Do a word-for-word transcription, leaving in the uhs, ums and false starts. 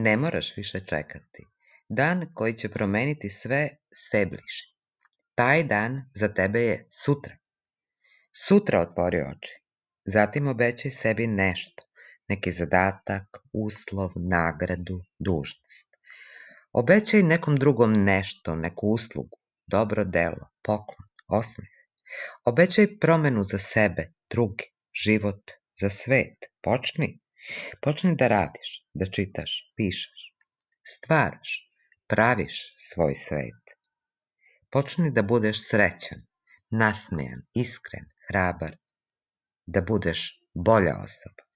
Ne moraš više čekati. Dan koji će promeniti sve, sve bliže. Taj dan za tebe je sutra. Sutra otvori oči. Zatim obećaj sebi nešto. Neki zadatak, uslov, nagradu, dužnost. Obećaj nekom drugom nešto, neku uslugu, dobro delo, poklon, osmeh. Obećaj promenu za sebe, druge, život, za svet. Počni. Počni da radiš, da čitaš, pišeš, stvaraš, praviš svoj svet. Počni da budeš srećan, nasmejan, iskren, hrabar, da budeš bolja osoba.